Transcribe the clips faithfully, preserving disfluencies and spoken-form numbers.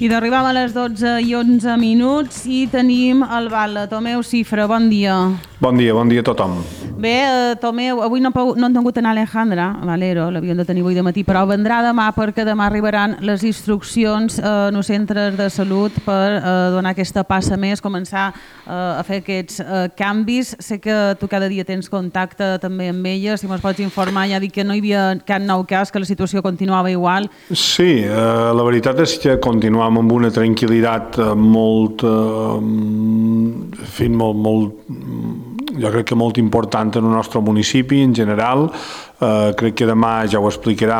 I d'arribam a les dotze i onze minuts i tenim el Val. Tomeu Cifra, bon dia. Bon dia, bon dia a tothom. Bé, eh, Tomeu, avui no, no han tingut anar Alejandra Valero, l'havíem de tenir avui de matí, però vendrà demà perquè demà arribaran les instruccions eh, en els centres de salut per eh, donar aquesta passa més, començar eh, a fer aquests eh, canvis. Sé que tu cada dia tens contacte també amb ella, si mos pots informar, ja dic que no hi havia cap nou cas, que la situació continuava igual. Sí, eh, la veritat és que continuem amb una tranquil·litat molt, eh, en fi, molt, molt, jo crec que molt important en el nostre municipi en general. Uh, crec que demà ja ho explicarà,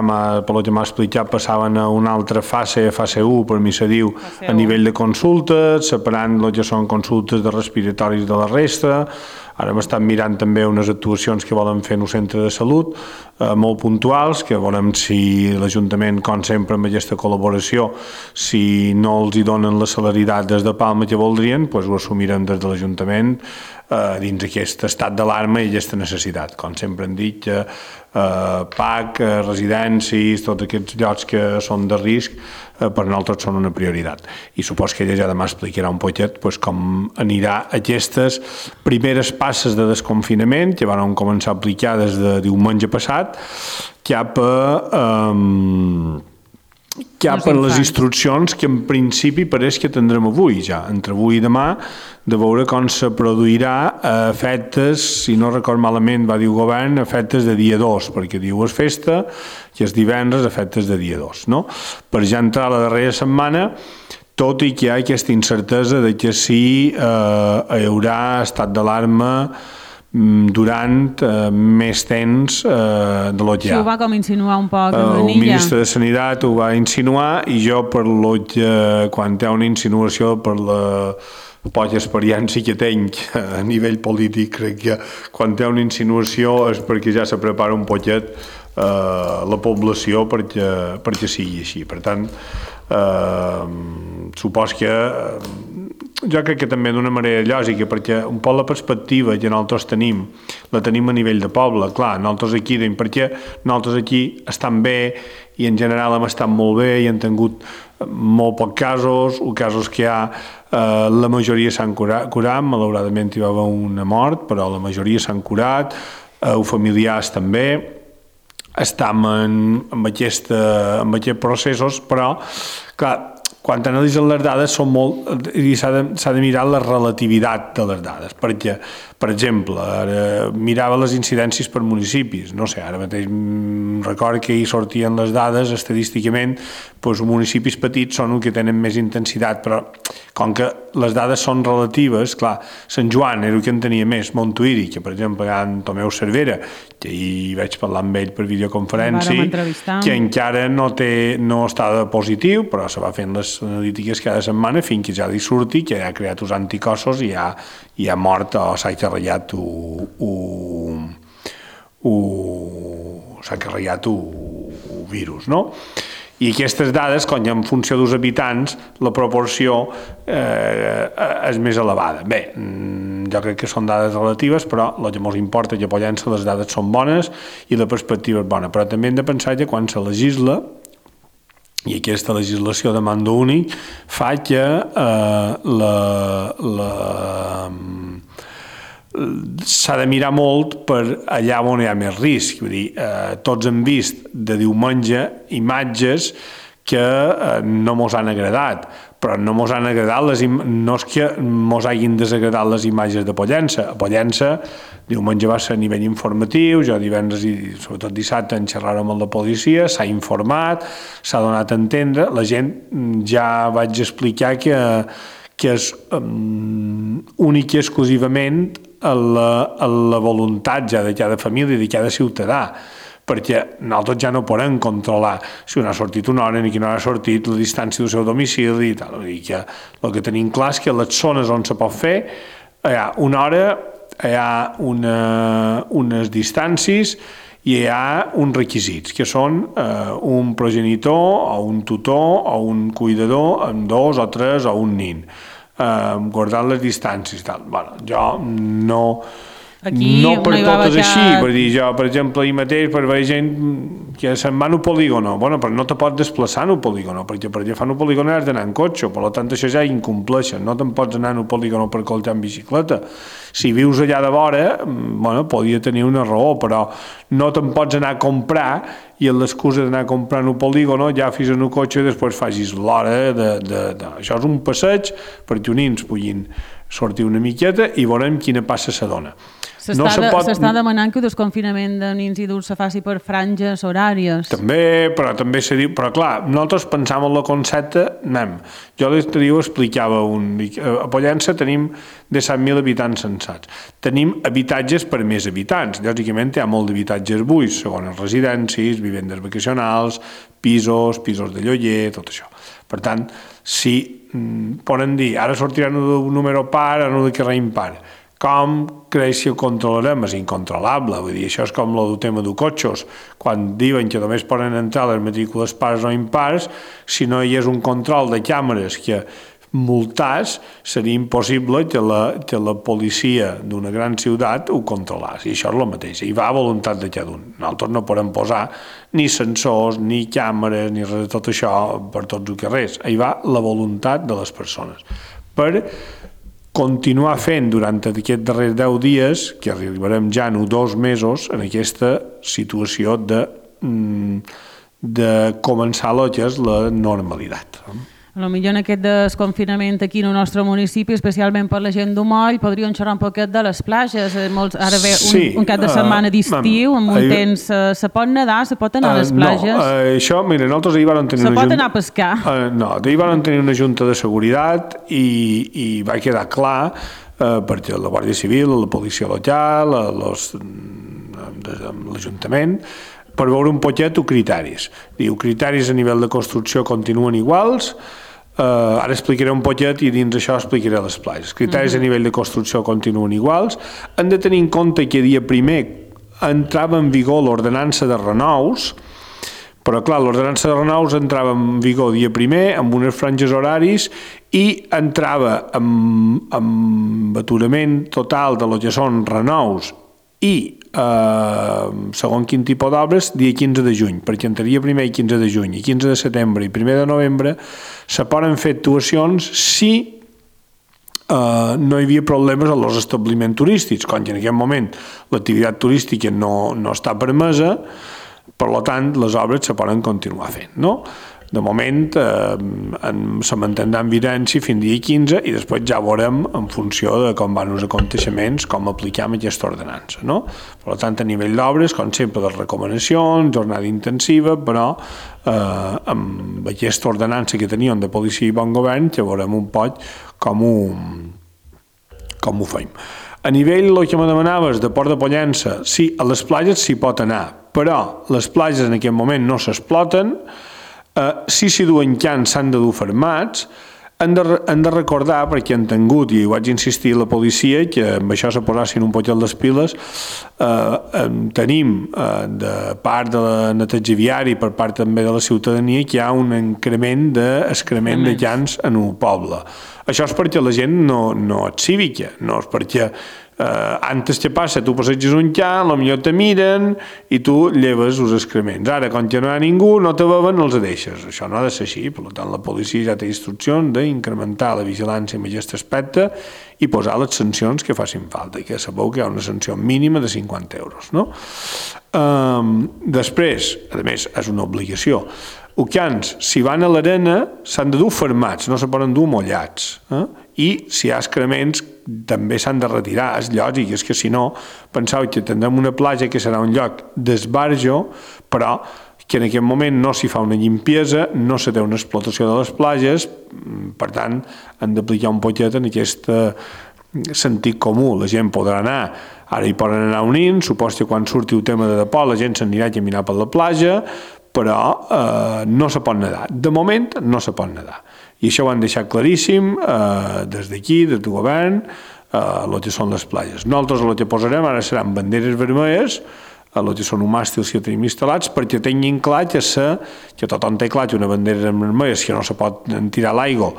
per lo que m'ha explicat, passaven a una altra fase, fase u, per mi se diu, a nivell de consultes, separant el que són consultes de respiratoris de la resta. Ara m'estan mirant també unes actuacions que volen fer en un centre de salut, eh, molt puntuals, que veurem si l'Ajuntament, com sempre amb aquesta col·laboració, si no els hi donen la celeritat des de Palma que voldrien, doncs ho assumirem des de l'Ajuntament eh, dins aquest estat d'alarma i aquesta necessitat. Com sempre hem dit, que eh, P A C, eh, residències, tots aquests llocs que són de risc, eh, per nosaltres són una prioritat. I supos que ella ja demà explicarà un poquet pues, com anirà aquestes primeres passes de desconfinament que van començar a aplicar des de diumenge passat cap a, um, cap a les instruccions que en principi pareix que tindrem avui ja, entre avui i demà, de veure com se produirà efectes, si no record malament va dir el govern, efectes de dia dos, perquè diu és festa i és divendres, efectes de dia dos, no? Per ja entrar la darrera setmana, tot i que hi ha aquesta incertesa de que sí eh, hi haurà estat d'alarma durant eh, més temps eh, de lo que hi ha. Sí, ho va com insinuar un poc eh, el ministre de Sanitat ho va insinuar i jo per lo que quan hi ha una insinuació per la poca experiència que tenc a nivell polític, crec que quan hi ha una insinuació és perquè ja se prepara un poquet eh, la població perquè, perquè sigui així. Per tant, eh, supos que eh, jo crec que també d'una manera lògica, perquè un poc la perspectiva que nosaltres tenim, la tenim a nivell de poble, clar, nosaltres aquí, perquè nosaltres aquí estan bé i en general hem estat molt bé i hem tingut molt pocs casos, els casos que hi ha, eh, la majoria s'han curat, curat, malauradament hi va haver una mort, però la majoria s'han curat, eh, els familiars també, estem en, en, aquesta, en aquests processos, però, clar, quan analitzen les dades són molt, i s'ha de, s'ha de mirar la relativitat de les dades, perquè, per exemple, ara mirava les incidències per municipis, no sé, ara mateix recordo que hi sortien les dades estadísticament, doncs municipis petits són els que tenen més intensitat, però com que les dades són relatives, clar, Sant Joan era el que en tenia més, Montuïri, que per exemple hi ha en Tomeu Cervera, que hi vaig parlar amb ell per videoconferència, que encara no, té, no està de positiu, però se va fent les analítiques cada setmana fins que ja li surti, que ja ha creat els anticossos i ja, i ha mort o s'ha carregat s'ha carregat el virus, no? I aquestes dades, quan en funció dels habitants, la proporció eh, és més elevada. Bé, jo crec que són dades relatives, però el que ens importa que apoyant-se les dades són bones i la perspectiva és bona. Però també hem de pensar que quan se legisla, i aquesta legislació de mando únic fa que eh, la, la, s'ha de mirar molt per allà on hi ha més risc. Vull dir, eh, tots hem vist de diumenge imatges que eh, no mos han agradat, però no mos han agradat les no és que mos hagin desagradat les imatges de Pollença. A Pollença diumenge va ser a nivell informatiu, jo divendres i sobretot dissabte en xerràrem amb la policia, s'ha informat, s'ha donat a entendre, la gent ja vaig explicar que, que és um, únic i exclusivament a la, a la voluntat ja de cada família, de cada ciutadà, perquè nosaltres ja no podem controlar si un ha sortit una hora ni qui no ha sortit, la distància del seu domicili i tal. Vull dir que el que tenim clar és que les zones on se pot fer hi ha una hora, hi ha una, unes distàncies i hi ha uns requisits, que són eh, un progenitor o un tutor o un cuidador amb dos o tres o un nin, eh, guardant les distàncies. Tal. Bueno, jo no... Aquí no per no hi va tot és baixar... així, per dir jo, per exemple, ahir mateix per veure gent que se'n va en un polígono, bueno, però no te pots desplaçar en un polígono, perquè per agafar un polígono has d'anar en cotxe, per tant això ja incompleixen, no te'n pots anar en un polígono per coltar en bicicleta. Si vius allà de vora, bueno, podria tenir una raó, però no te'n pots anar a comprar i amb l'excusa d'anar a comprar en un polígono ja fis en un cotxe i després facis l'hora de, de, de... Això és un passeig perquè uns nins puguin sortir una miqueta i veurem quina passa se dona. S'està no de, pot... demanant que el desconfinament de nins i adults se faci per franges horàries. També, però també se diu... Però clar, nosaltres pensàvem en la concepte, anem. Jo l'altre dia ho explicava un... A Pollença tenim disset mil habitants censats. Tenim habitatges per més habitants. Lògicament hi ha molt d'habitatges buits, segones residències, vivendes vacacionals, pisos, pisos de lloguer, tot això. Per tant, si mm, poden dir, ara sortiran un número par, ara un de carrer impar, com creix si ho controlarem? És incontrolable. Vull dir, això és com el tema de cotxes. Quan diuen que només poden entrar les matrícules pars o impars, si no hi és un control de càmeres que multàs, seria impossible que la, que la policia d'una gran ciutat ho controlés. I això és el mateix. Hi va a voluntat de cada un. Nosaltres no podem posar ni sensors, ni càmeres, ni res de tot això per tots els carrers. Hi va la voluntat de les persones. Per continuar fent durant aquests darrers deu dies, que arribarem ja en dos mesos, en aquesta situació de, de començar el que és la normalitat. A lo millor en aquest desconfinament aquí en el nostre municipi, especialment per la gent d'Humoll, podríem xerrar un poquet de les platges. Molts, ara ve un, sí, un cap de setmana d'estiu, amb un temps... Uh, se pot nedar, se pot anar a les platges? No, uh, això, mira, nosaltres ahir vam tenir se una... Se pot junta, anar a pescar? Uh, no, ahir vam tenir una junta de seguretat i, i va quedar clar, uh, perquè la Guàrdia Civil, la policia local, l'Ajuntament, per veure un poquet o criteris. Diu, criteris a nivell de construcció continuen iguals. Uh, ara explicaré un poquet i dins això explicaré les platges. Criteris uh-huh. a nivell de construcció continuen iguals. Hem de tenir en compte que dia primer entrava en vigor l'ordenança de renous, però clar, l'ordenança de renous entrava en vigor dia primer amb unes franges horaris i entrava amb, amb aturament total de lo que són renous i eh, segons quin tipus d'obres, dia quinze de juny, perquè entre dia primer i quinze de juny, i quinze de setembre i primer de novembre se poden fer actuacions si eh, no hi havia problemes als establiments turístics, quan en aquest moment l'activitat turística no, no està permesa, per tant les obres se poden continuar fent, no? De moment eh, se mantindrà en vigència fins dia quinze i després ja veurem en funció de com van els aconteixements com apliquem aquesta ordenança, no? Per tant, a nivell d'obres, com sempre, les recomanacions, jornada intensiva, però eh, amb aquesta ordenança que teníem de policia i bon govern, ja veurem un poc com ho, com ho fem. A nivell, el que me demanaves de Port de Pollença, sí, a les platges s'hi pot anar, però les platges en aquest moment no s'exploten. Uh, si s'hi duen cans s'han de dur fermats, han de, han de recordar, perquè han tingut, i ho vaig insistir a la policia, que amb això se posassin un poquet les piles, uh, tenim uh, de part de la neteja viària i per part també de la ciutadania que hi ha un increment d'excrement de cans en un poble. Això és perquè la gent no, no és cívica, no és perquè Uh, antes què passa? Tu passeges un can, potser te miren i tu lleves els excrements. Ara, quan ja no hi ha ningú, no te beven, no els deixes. Això no ha de ser així. Per tant, la policia ja té instruccions d'incrementar la vigilància en aquest aspecte i posar les sancions que facin falta, i que sabeu que hi ha una sanció mínima de cinquanta euros. No? Um, després, a més, és una obligació. Els cans, si van a l'arena, s'han de dur fermats, no se poden dur mollats. Eh? I si hi ha excrements, també s'han de retirar. És lògic, és que si no, penseu que tindrem una platja que serà un lloc d'esbarjo, però que en aquest moment no s'hi fa una limpiesa, no se té una explotació de les platges, per tant, han d'aplicar un poquet en aquest sentit comú. La gent podrà anar, ara hi poden anar unint, supos que quan surti el tema de depò la gent s'anirà a caminar per la platja, però eh, no se pot nedar. De moment no se pot nedar. I això ho han deixat claríssim eh, des d'aquí, des del govern, eh, el que són les platges. Nosaltres el que posarem ara seran banderes vermelles, el que són uns màstils que tenim instal·lats, perquè tinguin clar que, se, que tothom té clar que una bandera vermella, que no se pot tirar l'aigua,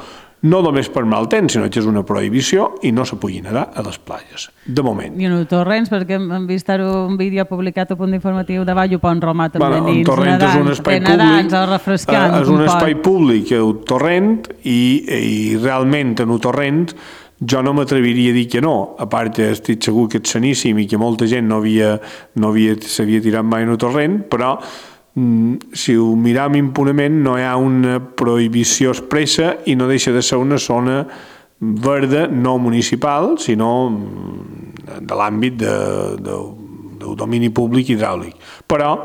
no només per mal temps, sinó que és una prohibició i no se pugui nedar a les platges, de moment. I en el Torrents, perquè hem vist un vídeo publicat a punt informatiu de Vall Pont Romà també bueno, dins, Torrent nedant, és un espai nedant, públic, refrescant, és un, un espai públic el Torrent i, i realment en el Torrent jo no m'atreviria a dir que no, a part que estic segur que és saníssim i que molta gent no havia, no havia, s'havia tirat mai en el Torrent, però si ho miram impunament no hi ha una prohibició expressa i no deixa de ser una zona verda no municipal sinó de l'àmbit de, de, del domini públic hidràulic, però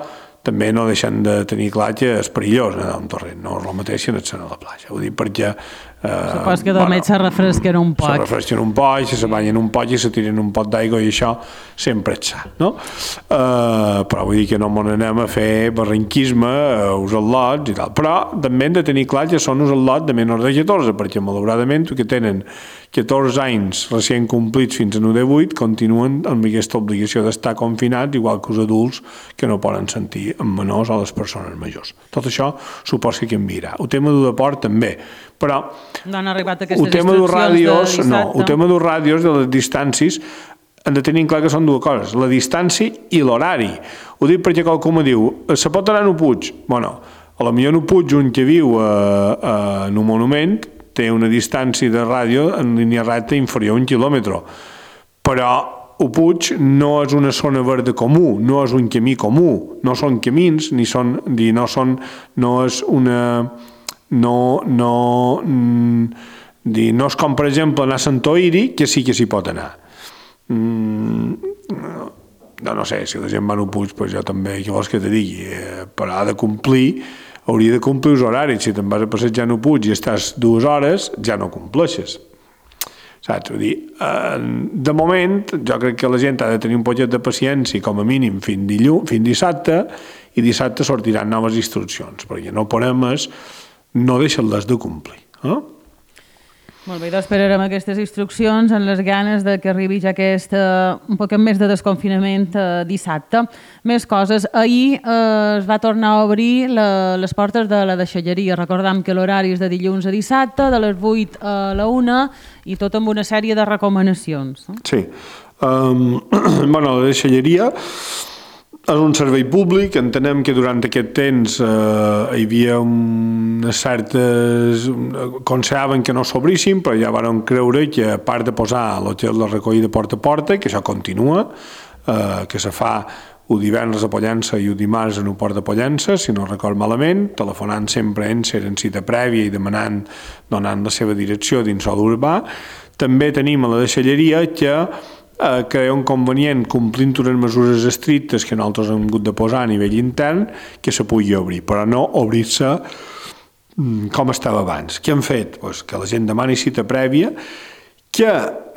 també no deixen de tenir clar que és perillós nedar un torrent, no és el mateix que anar a la platja, ho dic perquè Eh, Supos que també bueno, se refresquen un poc. Se refresquen un poc, se banyen un poc i se tiren un pot d'aigua i això sempre és sa, no? Eh, però vull dir que no m'on anem a fer barranquisme, a usar lots i tal. Però també hem de tenir clar que són usar lots de menors de catorze, perquè malauradament que tenen catorze anys recient complits fins a nou de vuit continuen amb aquesta obligació d'estar confinats, igual que els adults que no poden sentir amb menors o les persones majors. Tot això suposa que canviarà. El tema del deport també, però no han arribat aquestes el tema dels ràdios, de no, el tema dels ràdios de les distàncies han de tenir clar que són dues coses, la distància i l'horari. Ho dic perquè qualcú me diu, se pot anar a Puig? Bueno, a la millor no Puig, un que viu a, a, en un monument, té una distància de ràdio en línia recta inferior a un quilòmetre, però el Puig no és una zona verda comú, no és un camí comú, no són camins, ni són, no són, no és una... no, no, mm, no és com per exemple anar a Sant Oïri, que sí que s'hi pot anar. Mm, no, no sé, si la gent va a Puig, pues jo també, què vols que te digui, eh, però ha de complir, hauria de complir els horaris. Si te'n vas a passejar a Puig i estàs dues hores, ja no compleixes. Saps? Vull dir, eh, de moment, jo crec que la gent ha de tenir un poquet de paciència, com a mínim, fins dilluns, fins dissabte, i dissabte sortiran noves instruccions, perquè no podem és no deixen-les de complir. Eh? Molt bé, doncs esperarem aquestes instruccions en les ganes de que arribi ja aquest uh, un poc més de desconfinament uh, dissabte. Més coses. Ahir uh, es va tornar a obrir la, les portes de la deixalleria. Recordam que l'horari és de dilluns a dissabte, de les vuit a la una, i tot amb una sèrie de recomanacions. Sí. Um, bueno, la deixalleria és un servei públic, entenem que durant aquest temps eh, hi havia unes certes... consideraven que no s'obrissin, però ja van creure que a part de posar el que és la recollida porta a porta, que això continua, eh, que se fa el divendres a Pollença i el dimarts en el port de Pollença, si no record malament, telefonant sempre en ser en cita prèvia i demanant, donant la seva direcció dins sol urbà. També tenim a la deixalleria que Eh, que és un convenient, complint unes mesures estrictes que nosaltres hem hagut de posar a nivell intern, que se pugui obrir, però no obrir-se com estava abans. Què han fet? Pues que la gent demani cita prèvia, que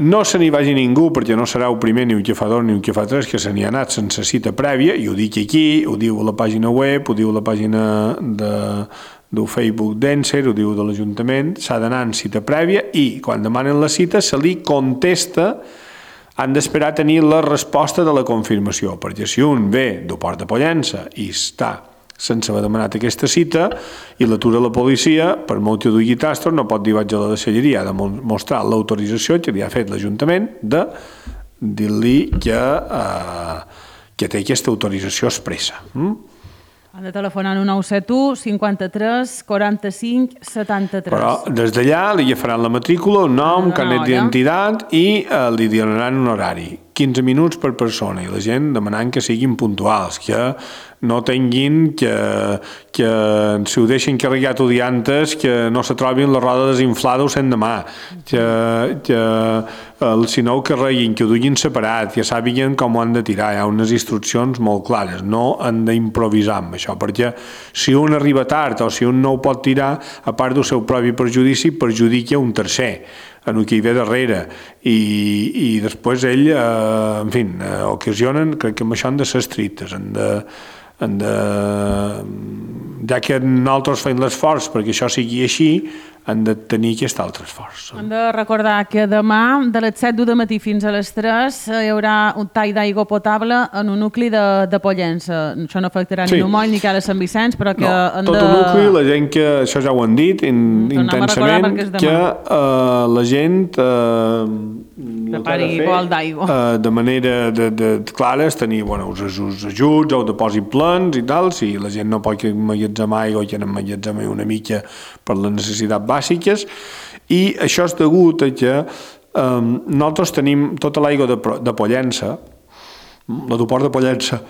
no se n'hi vagi ningú, perquè no serà el primer ni el que fa dos ni el que fa tres que se n'hi ha anat sense cita prèvia, i ho dic aquí, ho diu a la pàgina web, ho diu a la pàgina de del Facebook d'Enser, ho diu de l'Ajuntament, s'ha d'anar en cita prèvia i quan demanen la cita se li contesta. Han d'esperar a tenir la resposta de la confirmació, perquè si un ve del port de Pollença i està sense haver demanat aquesta cita i l'atura la policia, per molt que dugui tastos, no pot dir vaig a la deixalleria, ha de mostrar l'autorització que li ha fet l'Ajuntament de dir-li que, eh, que té aquesta autorització expressa. Mm? Han de telefonar al nou set u cinquanta-tres quaranta-cinc setanta-tres. Però des d'allà li faran la matrícula, el nom, no, carnet d'identitat i eh, li donaran un horari. quinze minuts per persona i la gent demanant que siguin puntuals, que no tinguin que, que si ho deixen carregat o diantes que no se trobin la roda desinflada o sent demà, que, que el, si no ho carreguin, que ho duguin separat, que sàpiguen com ho han de tirar, hi ha unes instruccions molt clares, no han d'improvisar amb això, perquè si un arriba tard o si un no ho pot tirar, a part del seu propi perjudici, perjudica un tercer en el que hi ve darrere i, i després ell, eh, en fi, eh, ocasionen, crec que amb això han de ser estrictes, han de, han de ja que nosaltres fem l'esforç perquè això sigui així, han de tenir aquest altre esforç. Hem de recordar que demà, de les set del matí fins a les tres, hi haurà un tall d'aigua potable en un nucli de, de Pollença. Això no afectarà sí. ni Numoll ni Cala Sant Vicenç, però que... No, tot de... el nucli, la gent que... Això ja ho han dit in, intensament, que uh, la gent... Uh, prepari bol d'aigua. Uh, de manera de, de, de clara és tenir bueno, els, els ajuts o depòsit plens i tal, si la gent no pot emmagatzemar aigua, que n'emmagatzemar una mica per les necessitats bàsiques, i això és degut a que um, nosaltres tenim tota l'aigua de, de Pollença, l'aeroport de Pollença,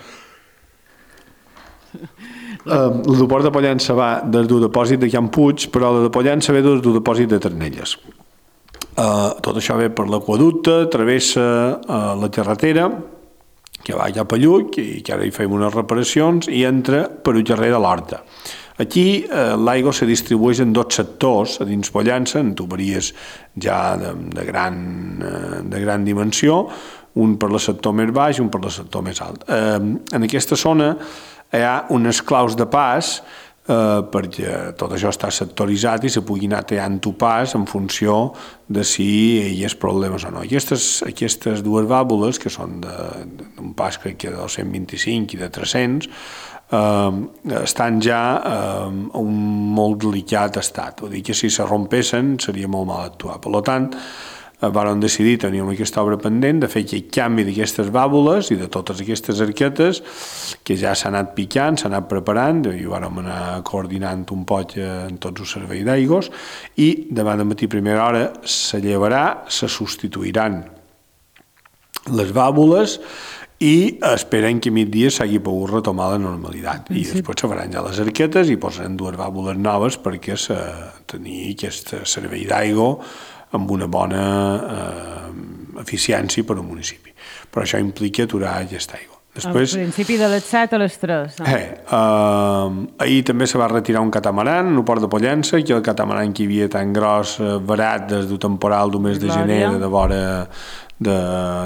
um, l'aeroport de Pollença va des del depòsit de Can Puig, però la de Pollença ve des del depòsit de Ternelles. Uh, tot això ve per l'aqüeducte, travessa uh, la carretera, que va cap a Lluc, i que ara hi fem unes reparacions, i entra per el carrer de l'Horta. Aquí eh, l'aigua se distribueix en dos sectors a dins Pollença, en tuberies ja de, de, gran, eh, de gran dimensió, un per el sector més baix i un per el sector més alt. Eh, en aquesta zona hi ha unes claus de pas eh, perquè tot això està sectoritzat i se pugui anar tallant tu pas en funció de si hi ha problemes o no. Aquestes, aquestes dues vàlvules, que són d'un pas crec que de dos-cents vint-i-cinc i de tres-cents, Uh, estan ja uh, en un molt delicat estat. Vull dir que si se rompessin seria molt mal actuar. Per tant, uh, vam decidir, teníem aquesta obra pendent, de fer aquest canvi d'aquestes vàlvules i de totes aquestes arquetes que ja s'ha anat picant, s'ha anat preparant, i vam anar coordinant un poc en tots els serveis d'aigües, i demà de matí primera hora se llevarà, se substituiran les vàlvules i esperen que a migdia s'hagi pogut retomar la normalitat. I sí. Després se faran ja les arquetes i posaran dues vàlvules noves perquè se tenir aquest servei d'aigua amb una bona eh, eficiència per al municipi. Però això implica aturar aquesta aigua. Després, al principi de les set a les tres. No? Eh, eh, ahir també se va retirar un catamaran en el port de Pollença, que el catamaran que hi havia tan gros, eh, barat des del temporal del mes de gener de vora, de,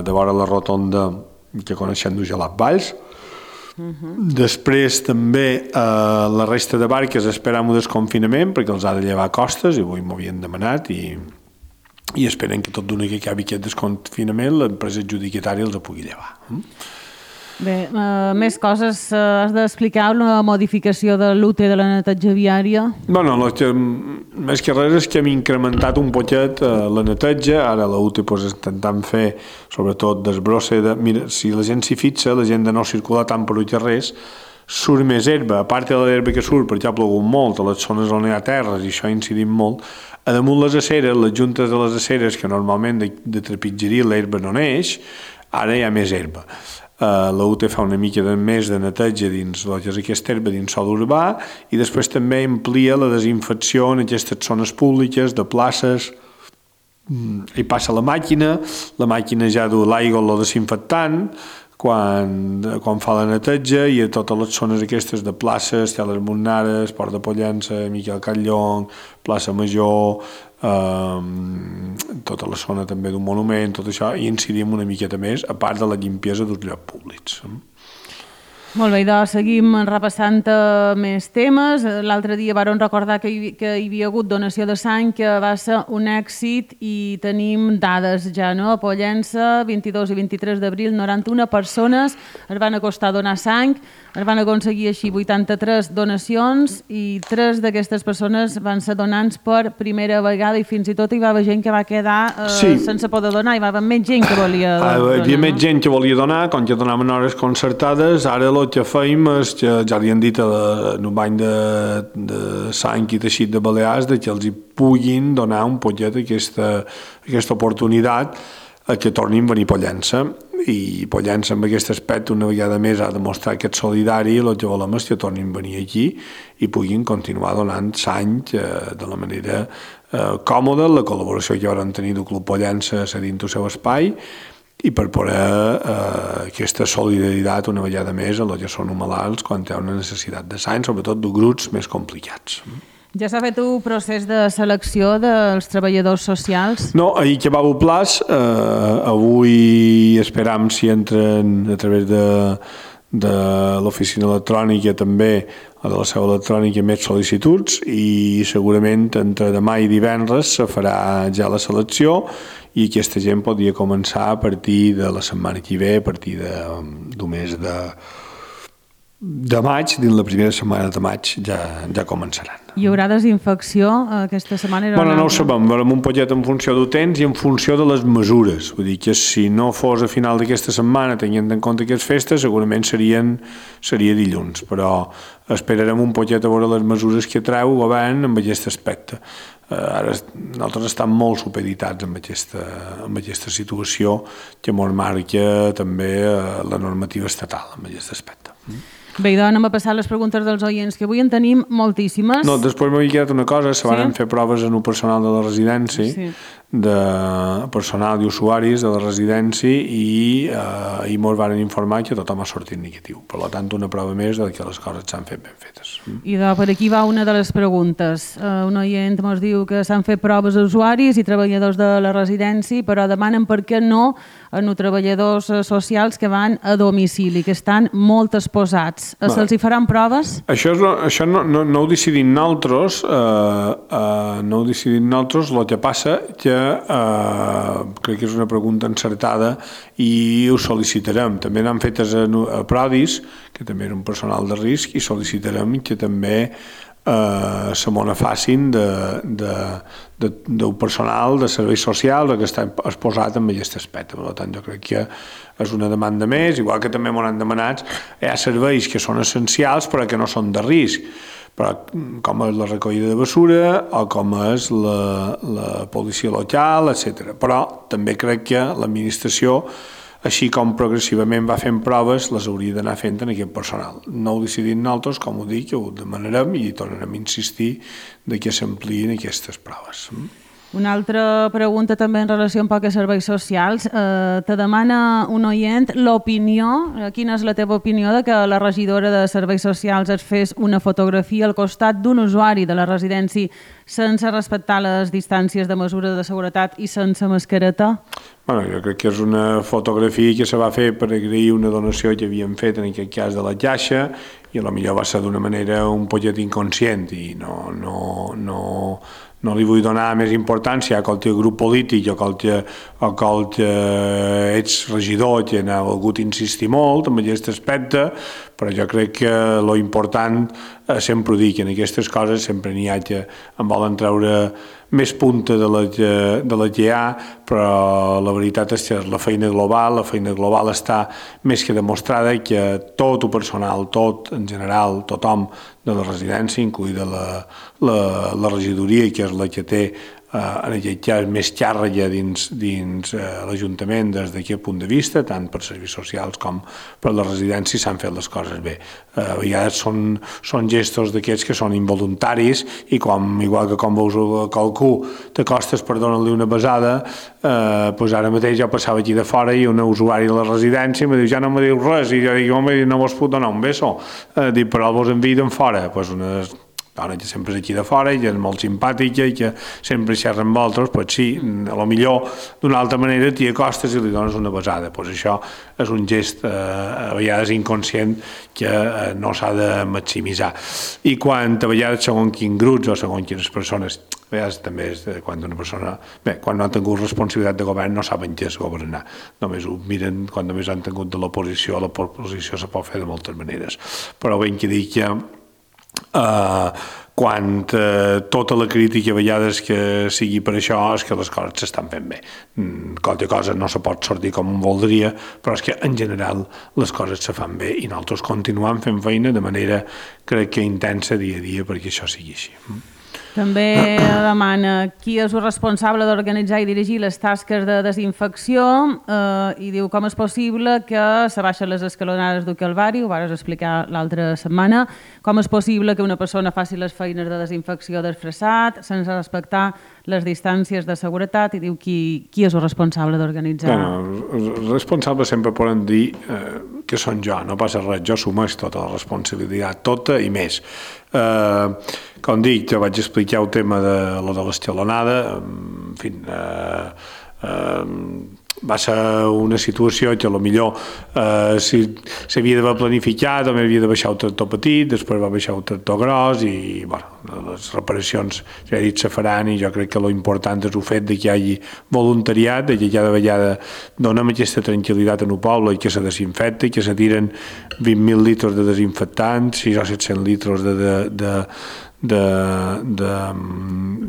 de vora la rotonda que coneixem de Gelat Valls. Uh-huh. Després també eh, la resta de barques esperam un desconfinament perquè els ha de llevar costes, i avui m'ho havien demanat, i, i esperen que tot d'una que acabi aquest desconfinament l'empresa adjudicatària els ho pugui llevar. Bé, uh, més coses. Uh, has d'explicar una modificació de l'U T de la neteja viària? Bueno, la, que, més que res és que hem incrementat un poquet uh, la neteja. Ara la U T pues, intentant fer, sobretot, desbrosse de... Mira, si la gent s'hi fixa, la gent de no circular tant per els carrers, surt més herba. A part de l'herba que surt, perquè ha plogut molt, a les zones on hi ha terres, i això ha incidit molt. A damunt les aceres, les juntes de les aceres, que normalment de, de trepitgeria l'herba no neix, ara hi ha més herba. Uh, la U T fa una mica de més de neteja dins el que és aquesta herba dins sol urbà, i després també amplia la desinfecció en aquestes zones públiques, de places. Hi passa la màquina, la màquina ja du l'aigua o la desinfectant quan, quan fa la neteja, i a totes les zones aquestes de places, hi ha les Montnares, Port de Pollença, Miquel Catllong, Plaça Major, eh, tota la zona també d'un monument, tot això, i incidim una miqueta més, a part de la limpiesa dels llocs públics. Molt bé, doncs seguim repassant més temes. L'altre dia vàrem recordar que hi, que hi havia hagut donació de sang, que va ser un èxit, i tenim dades ja, no? A Pollença, vint-i-dos i vint-i-tres d'abril, noranta-una persones es van acostar a donar sang, es van aconseguir així vuitanta-tres donacions, i tres d'aquestes persones van ser donants per primera vegada, i fins i tot hi va haver gent que va quedar eh, sí. sense poder donar, hi va haver més gent que volia donar. Hi havia més gent que volia donar, com que donaven hores concertades. Ara el que feim és que ja li han dit en un bany de, de sang i teixit de Balears de que els hi puguin donar un poquet aquesta, aquesta oportunitat a que tornin a venir a Pollença. I Pollença, amb aquest aspecte, una vegada més ha demostrat que és solidari, i el que volem és que tornin a venir aquí i puguin continuar donant sang eh, de la manera eh, còmoda, la col·laboració que van tenir del Club Pollença cedint el seu espai, i per poder eh, aquesta solidaritat una vegada més a els que són malalts quan hi ha una necessitat de sang, sobretot de grups més complicats. Ja s'ha fet un procés de selecció dels treballadors socials? No, ahir que va a Plaç, eh, avui esperam si entren a través de, de l'oficina electrònica també, o de la seu electrònica, més sol·licituds, i segurament entre demà i divendres se farà ja la selecció i aquesta gent podria començar a partir de la setmana que ve, a partir de, d'un mes de, de maig, dins la primera setmana de maig ja, ja començaran. Hi haurà desinfecció aquesta setmana? Bueno, no ho sabem, veurem un poquet en funció del temps i en funció de les mesures. Vull dir que si no fos a final d'aquesta setmana, tenint en compte aquestes festes, segurament serien, seria dilluns, però esperarem un poquet a veure les mesures que treu el govern amb aquest aspecte. Ara nosaltres estem molt supeditats amb aquesta, amb aquesta situació que ens marca també la normativa estatal amb aquest aspecte. Bé, doncs anem a passar les preguntes dels oients, que avui en tenim moltíssimes. No, després m'havia quedat una cosa, se van sí? fer proves en el personal de la residència, sí. de personal i usuaris de la residència i eh, i mos van informar que tothom ha sortit negatiu. Per tant, una prova més de que les coses s'han fet ben fetes. I de, per aquí va una de les preguntes. Uh, un oient ens diu que s'han fet proves a usuaris i treballadors de la residència, però demanen per què no a no treballadors socials que van a domicili, que estan molt exposats. Uh, Se'ls hi faran proves? Això, és, això no, no, no ho decidim nosaltres, eh, eh, no ho decidim nosaltres, el que passa que eh, crec que és una pregunta encertada i ho sol·licitarem. També n'han fetes a, a Prodis, que també era un personal de risc, i sol·licitarem que també eh, se m'ho facin de, de, de, del personal de serveis socials que està exposat en aquest aspecte. Per tant, jo crec que és una demanda més, igual que també m'ho han demanat, hi ha serveis que són essencials però que no són de risc, però com és la recollida de basura o com és la, la policia local, etcètera. Però també crec que l'administració, així com progressivament va fent proves, les hauria d'anar fent en aquest personal. No ho decidim nosaltres, com ho dic, ho demanarem i tornarem a insistir de que s'ampliïn aquestes proves. Una altra pregunta també en relació amb pocs serveis socials. Eh, te demana un oient l'opinió, quina és la teva opinió de que la regidora de serveis socials es fes una fotografia al costat d'un usuari de la residència sense respectar les distàncies de mesura de seguretat i sense mascareta? Bueno, jo crec que és una fotografia que se va fer per agrair una donació que havien fet, en aquest cas de la Caixa, i potser va ser d'una manera un poquet inconscient i no, no, no, no li vull donar més importància a qualsevol grup polític o a qualsevol ets regidor que n'ha volgut insistir molt en aquest aspecte, però jo crec que l'important sempre ho dic, en aquestes coses sempre n'hi ha que en volen treure més punta de la, que, de la que hi ha, però la veritat és que la feina global, la feina global està més que demostrada que tot el personal, tot en general, tothom de la residència, incloïda la, la, la regidoria, que és la que té en aquest cas més càrrega dins, dins eh, l'Ajuntament des d'aquest punt de vista, tant per serveis socials com per la residència, s'han fet les coses bé. Eh, a vegades són, són gestos d'aquests que són involuntaris i com, igual que quan veus qualcú t'acostes per donar-li una besada, eh, doncs ara mateix jo passava aquí de fora i un usuari de la residència em diu ja no me diu res i jo dic home no vos puc donar un beso, eh, dic però vos envien fora, doncs una dona que sempre és aquí de fora i que és molt simpàtica i que sempre xerra amb altres, doncs sí, a lo millor d'una altra manera t'hi acostes i li dones una besada. Doncs això és un gest eh, a vegades inconscient que eh, no s'ha de maximitzar. I quan a vegades segons quins grups o segons quines persones, a vegades també és quan una persona, bé, quan no han tingut responsabilitat de govern no saben què és governar, només ho miren quan només han tingut de l'oposició, l'oposició se pot fer de moltes maneres, però ben que dic que Uh, quan uh, tota la crítica a vegades que sigui per això és que les coses s'estan fent bé. Mm, qualque cosa no se pot sortir com voldria, però és que en general les coses se fan bé i nosaltres continuem fent feina de manera crec que intensa dia a dia perquè això sigui així. També demana qui és el responsable d'organitzar i dirigir les tasques de desinfecció eh, i diu com és possible que se baixen les escalonades del Calvari, ho vas explicar l'altra setmana, com és possible que una persona faci les feines de desinfecció desfressat sense respectar les distàncies de seguretat i diu qui, qui és el responsable d'organitzar. Bueno, els responsables sempre poden dir eh, que són jo, no passa res, jo assumeix tota la responsabilitat, tota i més. Eh, com dic, jo vaig explicar el tema de lo de l'escalonada, en fi, eh, eh, va ser una situació que potser eh, si s'havia d'haver planificat, també havia de baixar el tractor petit, després va baixar el tractor gros i bueno, les reparacions, ja he dit, se faran i jo crec que l'important és el fet de que hi hagi voluntariat, de que cada vegada donem aquesta tranquil·litat en el poble i que se desinfecta i que se tiren vint mil litres de desinfectants, sis o set-cents litres de, de, de De, de,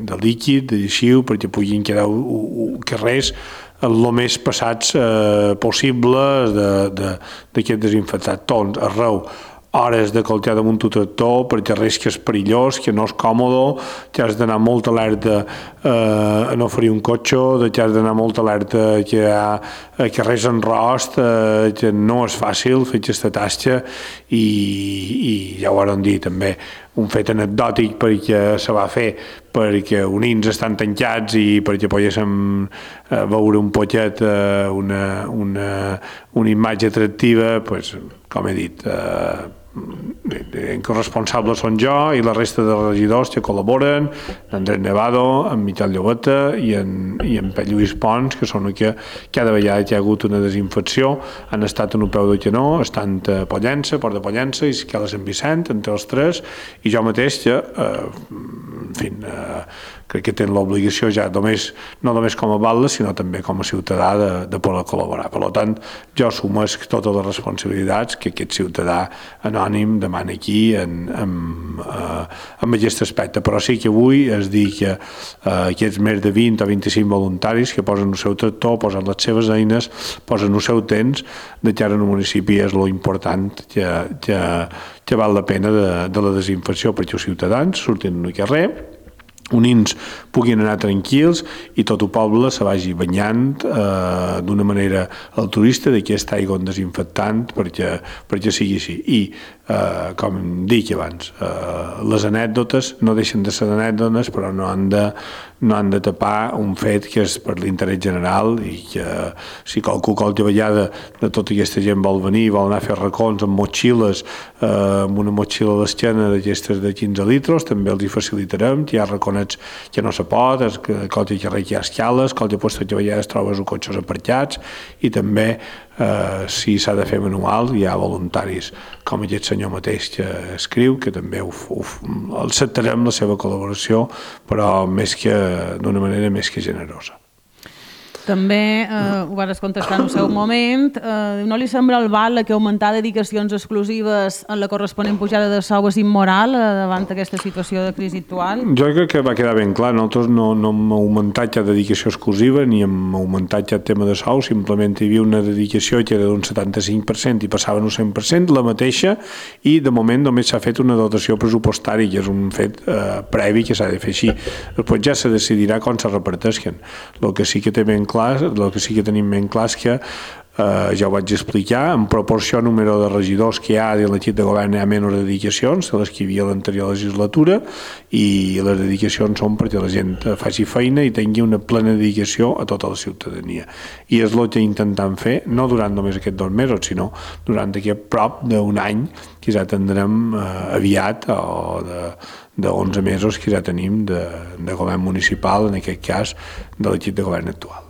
de líquid, de lleixiu, perquè puguin quedar carrers el més passats eh, possibles d'aquest desinfectat. Tots, arreu, hores de coltear damunt tu tractor perquè res que és perillós, que no és còmode, que has d'anar molt alerta eh, a no ferir un cotxe, que has d'anar molt alerta que hi ha eh, que res en rost, eh, que no és fàcil fer aquesta tasca i, i ja ho vam dir també, un fet anecdòtic perquè se va fer perquè unins estan tancats i perquè poguéssim eh, veure un poquet eh, una, una, una imatge atractiva, pues, com he dit, eh, en corresponsable són jo i la resta de regidors que col·laboren, Andrés Nevado, en Miquel Llobeta i en, i en Pep Lluís Pons, que són que cada vegada que hi ha hagut una desinfecció han estat en un peu de canó, estan a Pollença, Port de Pollença i Esquela Sant Vicent, entre els tres, i jo mateix que, eh, en fi, eh, crec que tenen l'obligació ja només, no només com a batlle, sinó també com a ciutadà de, de poder col·laborar. Per tant, jo assumesc totes les responsabilitats que aquest ciutadà anònim demana aquí en, en, eh, en aquest aspecte. Però sí que avui es dir que eh, aquests més de vint o vint-i-cinc voluntaris que posen el seu tractor, posen les seves eines, posen el seu temps, de cara al municipi és lo important que, que, que val la pena de, de la desinfecció perquè els ciutadans surtin al carrer, unins puguin anar tranquils i tot el poble se vagi banyant eh, d'una manera altruista d'aquesta aigua desinfectant perquè, perquè sigui així. I, eh, com dic abans, eh, les anècdotes no deixen de ser anècdotes, però no han de, no han de tapar un fet que és per l'interès general i que si qualcú qualque vegada de tota aquesta gent vol venir, vol anar a fer racons amb motxilles, eh, amb una motxilla a l'esquena d'aquestes de quinze litres, també els hi facilitarem, que hi ha racons que no se pot, qualque carrer que hi ha escales, qualque posta que a vegades trobes els cotxes aparcats i també eh, si s'ha de fer manual hi ha voluntaris com aquest senyor mateix que escriu, que també ho, ho, acceptarem la seva col·laboració, però més que d'una manera més que generosa. També eh, ho vas contestar en el seu moment. Eh, no li sembla el val que augmentar dedicacions exclusives en la corresponent pujada de sou és immoral eh, davant aquesta situació de crisi actual? Jo crec que va quedar ben clar. Nosaltres no, no hem augmentat cap dedicació exclusiva ni hem augmentat cap tema de sou, simplement hi havia una dedicació que era d'un setanta-cinc per cent i passava un cent per cent, la mateixa, i de moment només s'ha fet una dotació pressupostària, que és un fet eh, previ que s'ha de fer així. Després ja se decidirà com se reparteixen. El que sí que té ben clar el que sí que tenim ben clar és que eh, ja ho vaig explicar, en proporció al número de regidors que hi ha de l'equip de govern hi ha menys dedicacions de les que hi havia a l'anterior legislatura i les dedicacions són perquè la gent faci feina i tingui una plena dedicació a tota la ciutadania. I és el que intentem fer, no durant només aquests dos mesos, sinó durant aquest prop d'un any que ja tindrem eh, aviat o de d'onze mesos que ja tenim de, de govern municipal, en aquest cas de l'equip de govern actual.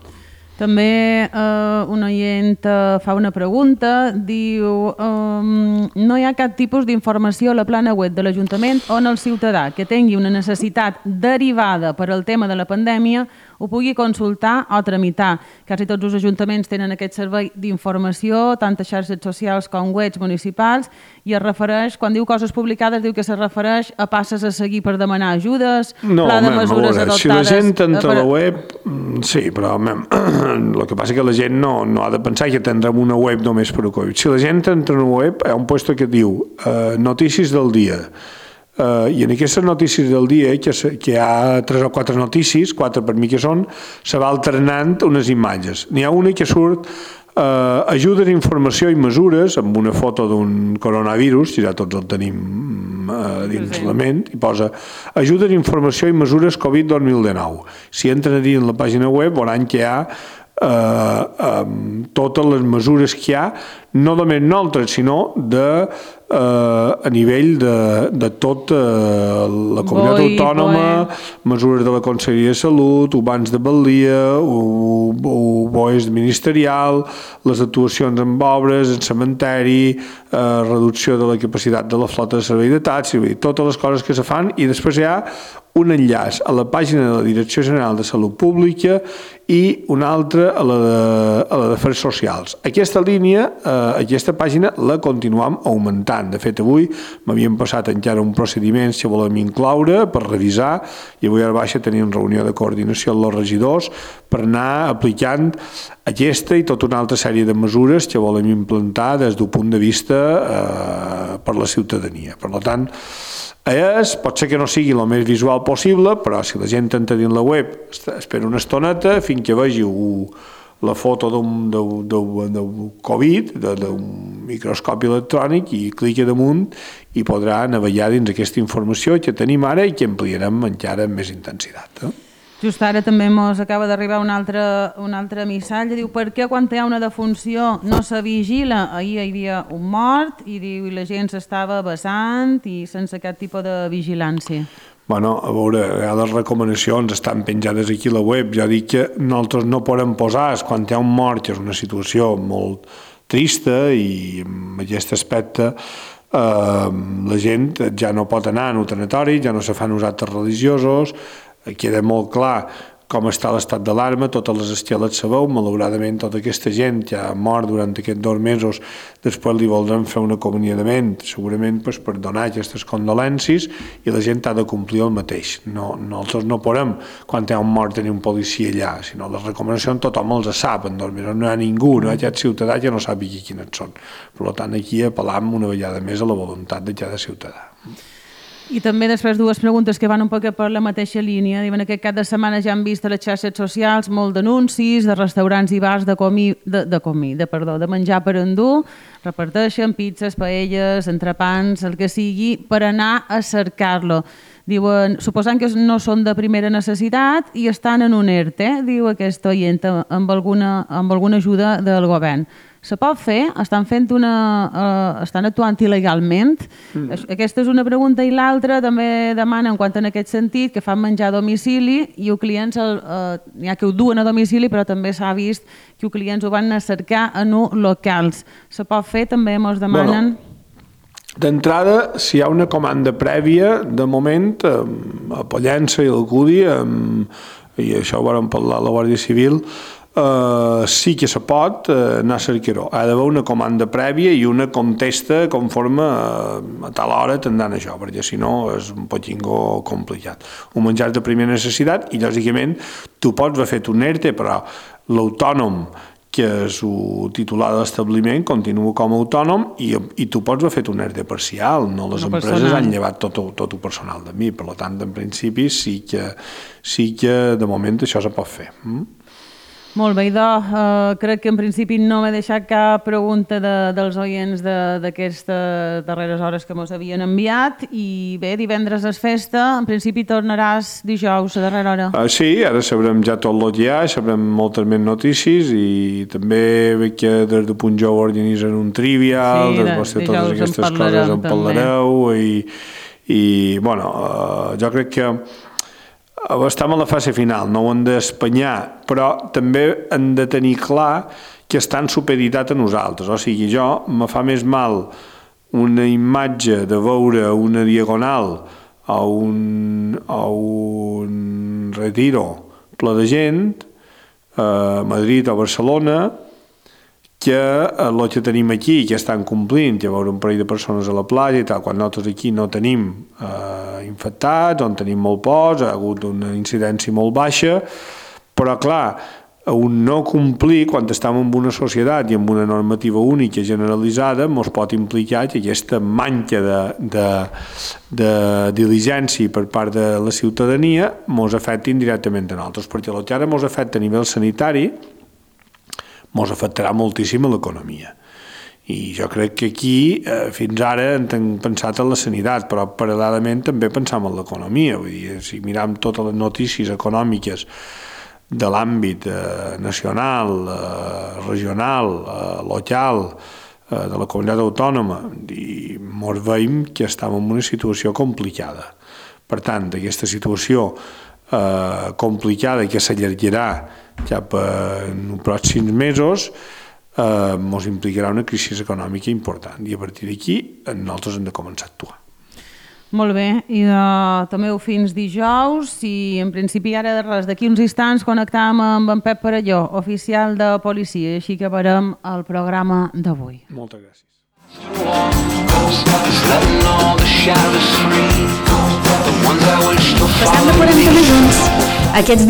També eh, un oient fa una pregunta, diu um, no hi ha cap tipus d'informació a la plana web de l'Ajuntament on el ciutadà que tingui una necessitat derivada per al tema de la pandèmia ho pugui consultar o tramitar. Quasi tots els ajuntaments tenen aquest servei d'informació, tant a xarxes socials com webs municipals, i es refereix, quan diu coses publicades, diu que se refereix a passes a seguir per demanar ajudes, no, pla de mem, mesures veure, adoptades... Si la gent entra per... a la web, sí, però mem, el que passa és que la gent no, no ha de pensar que tindrem una web només per a Covid. Si la gent entra a una web, hi ha un lloc que diu eh, notícies del dia, Uh, i en aquestes notícies del dia, que, que hi ha tres o quatre notícies, quatre per mi que són, se va alternant unes imatges. N'hi ha una que surt uh, ajudes, informació i mesures amb una foto d'un coronavirus, que ja tots el tenim uh, dins la ment, i posa ajudes, informació i mesures Covid dos mil dinou. Si entren a dir en la pàgina web veuran que hi ha Uh, um, totes les mesures que hi ha no només nosaltres, sinó de, eh, a nivell de, de tot eh, la comunitat Boi, autònoma, Boe. mesures de la Conselleria de Salut, o bans de balia, o, o boes ministerial, les actuacions en obres, en cementeri, eh, reducció de la capacitat de la flota de servei de taxi, totes les coses que se fan, i després hi ha un enllaç a la pàgina de la Direcció General de Salut Pública i una altra a la de, a la d'Afers Socials. Aquesta línia, eh, aquesta pàgina, la continuem augmentant. De fet, avui m'havien passat encara un procediment que volem incloure per revisar, i avui a la baixa tenim reunió de coordinació amb els regidors per anar aplicant aquesta i tota una altra sèrie de mesures que volem implantar des d'un punt de vista eh, per la ciutadania. Per tant, és, pot ser que no sigui el més visual possible, però si la gent entra dins la web, espera una estoneta fins que vegi la foto d'un Covid, d'un microscopi electrònic, i clica damunt i podrà navegar dins aquesta informació que tenim ara i que ampliarem encara amb més intensitat. Eh? Just ara també ens acaba d'arribar un altre, un altre missatge, diu, per què quan hi ha una defunció no se vigila? Ahir hi havia un mort i diu, i la gent s'estava besant i sense aquest tipus de vigilància. Bueno, a veure, les recomanacions estan penjades aquí a la web. Ja dic que nosaltres no podem posar, quan hi ha un mort, que és una situació molt trista, i en aquest aspecte eh, la gent ja no pot anar a un tanatori, ja no se fan uns actes religiosos, queda molt clar com està l'estat d'alarma, totes les esteles sabeu, malauradament tota aquesta gent que ha mort durant aquests dos mesos, després li voldran fer un acomiadament, segurament pues, per donar aquestes condolències, i la gent ha de complir el mateix. No, nosaltres no podem, quan hi ha un mort, tenir un policia allà, sinó les recomanacions tothom els sap, en dos mesos no hi ha ningú, no hi ha aquest ciutadà que no sàpiga quines són. Per tant, aquí apel·lam una vegada més a la voluntat de cada ciutadà. I també després dues preguntes que van un poc per la mateixa línia. Diuen que aquest cap de setmana ja han vist a les xarxes socials molt d'anuncis de restaurants i bars de comí, de, de comí, de, perdó, de menjar per endur, reparteixen pizzas, paelles, entrepans, el que sigui, per anar a cercar-lo. Diuen, suposant que no són de primera necessitat i estan en un ERTE, diu aquesta oient, amb alguna, amb alguna ajuda del govern. Se pot fer? Estan fent una... Uh, estan actuant il·legalment? Mm. Aquesta és una pregunta, i l'altra també demana, en quant en aquest sentit, que fan menjar a domicili i els clients, uh, n'hi ha que ho duen a domicili, però també s'ha vist que els clients ho van a cercar en locals. Se pot fer? També ens demanen... Bueno. D'entrada, si hi ha una comanda prèvia, de moment, a Pollença i l'Alcúdia, i això ho vam parlar a la Guàrdia Civil, Uh, sí que se pot uh, anar a cercar-ho. Ha d'haver una comanda prèvia i una contesta conforme uh, a tal hora t'han això, perquè si no és un poquingo complicat. Un menjar de primera necessitat, i lògicament tu pots haver fet un ERTE, però l'autònom, que és el titular de l'establiment, continua com a autònom, i, i tu pots haver fet un ERTE parcial, no les no empreses personal. Han llevat tot, tot el personal de mi, per tant, en principi sí que, sí que de moment això se pot fer. Mm? Molt bé, idò, uh, crec que en principi no m'he deixat cap pregunta de, dels oients d'aquestes darreres hores que mos havien enviat, i bé, divendres és festa, en principi tornaràs dijous a darrera hora. Uh, sí, ara sabrem ja tot el que hi ha, sabrem moltes més notícies, i també veig que des de Punt Jou organitzen un trivial, sí, des de totes aquestes coses en parlareu, i, i bueno, uh, jo crec que estem a la fase final, no ho hem d'espanyar, però també hem de tenir clar que estan supeditat a nosaltres. O sigui, jo me fa més mal una imatge de veure una diagonal o un, o un retiro ple de gent a Madrid o Barcelona, que el que tenim aquí, que estan complint, que veure un parell de persones a la platja i tal, quan nosaltres aquí no tenim eh, infectats, on tenim molt pocs, ha hagut una incidència molt baixa, però clar, un no complir, quan estem en una societat i amb una normativa única generalitzada, ens pot implicar que aquesta manca de, de, de diligència per part de la ciutadania ens afecti indirectament a nosaltres, perquè el que ara ens afecta a nivell sanitari ens afectarà moltíssim a l'economia. I jo crec que aquí, eh, fins ara, hem pensat en la sanitat, però paral·lelament també pensam en l'economia. Vull dir, si miram totes les notícies econòmiques de l'àmbit eh, nacional, eh, regional, eh, local, de la comunitat autònoma i ens veiem que estem en una situació complicada. Per tant, aquesta situació eh, complicada que s'allargarà cap en els pròxims mesos ens eh, implicarà una crisi econòmica important i a partir d'aquí nosaltres hem de començar a actuar. Molt bé, i de també fins dijous i en principi ara de res, d'aquí uns instants connectam amb en Pep Perelló, oficial de policia, així que veurem el programa d'avui. Moltes gràcies. Passant de quaranta minuts. Aquests dies